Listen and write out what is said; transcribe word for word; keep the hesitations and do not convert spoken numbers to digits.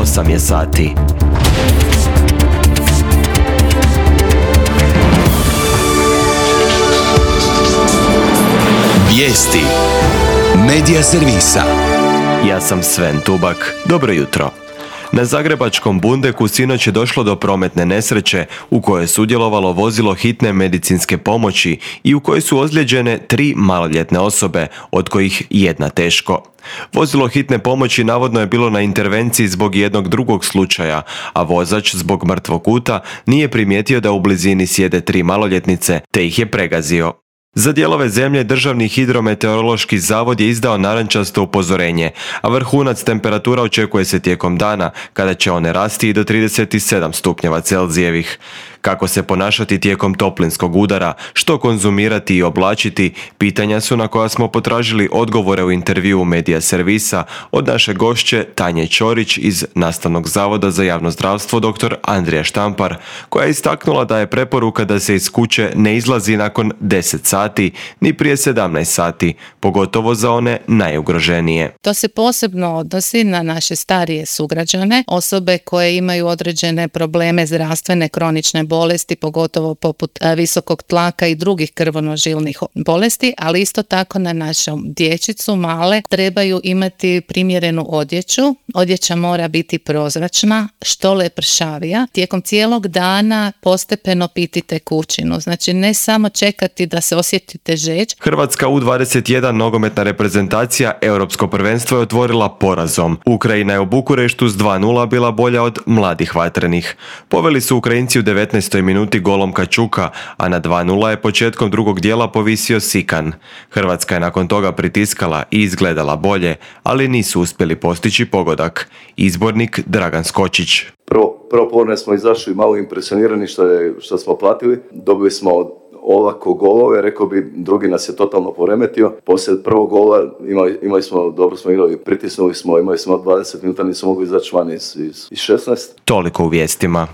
osam je sati. Vijesti Medija servisa. Ja sam Sven Tubak. Dobro jutro. Na zagrebačkom Bundeku sinoć je došlo do prometne nesreće u kojoj je sudjelovalo vozilo hitne medicinske pomoći i u kojoj su ozlijeđene tri maloljetne osobe, od kojih jedna teško. Vozilo hitne pomoći navodno je bilo na intervenciji zbog jednog drugog slučaja, a vozač zbog mrtvog kuta nije primijetio da u blizini sjede tri maloljetnice, te ih je pregazio. Za dijelove zemlje Državni hidrometeorološki zavod je izdao narančasto upozorenje, a vrhunac temperatura očekuje se tijekom dana, kada će one rasti i do trideset sedam stupnjeva Celzijevih. Kako se ponašati tijekom toplinskog udara, što konzumirati i oblačiti, pitanja su na koja smo potražili odgovore u intervjuu Medija servisa od naše gošće Tanje Ćorić iz Nastavnog zavoda za javno zdravstvo dr. Andrija Štampar, koja je istaknula da je preporuka da se iz kuće ne izlazi nakon deset sati, ni prije sedamnaest sati, pogotovo za one najugroženije. To se posebno odnosi na naše starije sugrađane, osobe koje imaju određene probleme zdravstvene, kronične bolesti, pogotovo poput visokog tlaka i drugih krvonožilnih bolesti, ali isto tako na našu dječicu male trebaju imati primjerenu odjeću. Odjeća mora biti prozračna, što lepršavija. Tijekom cijelog dana postepeno piti tekućinu, znači ne samo čekati da se osjetite žeđ. Hrvatska U dvadeset jedan nogometna reprezentacija Europsko prvenstvo je otvorila porazom. Ukrajina je u Bukureštu s dva nula bila bolja od mladih vatrenih. Poveli su Ukrajinci u devetnaestoj minuti golom Kačuka, a na dva nula je početkom drugog dijela povisio Sikan. Hrvatska je nakon toga pritiskala i izgledala bolje, ali nisu uspjeli postići pogodak. Izbornik Dragan Skočić. Prvo, prvo povremeno smo izašli malo impresionirani što, je, što smo platili. Dobili smo ovako golove, rekao bi, drugi nas je totalno poremetio. Poslije prvog gola imali, imali smo, dobro smo igrali, pritisnuli smo, imali smo dvadeset minuta, nismo mogli izaći van iz, iz, iz šesnaest. Toliko u vijestima.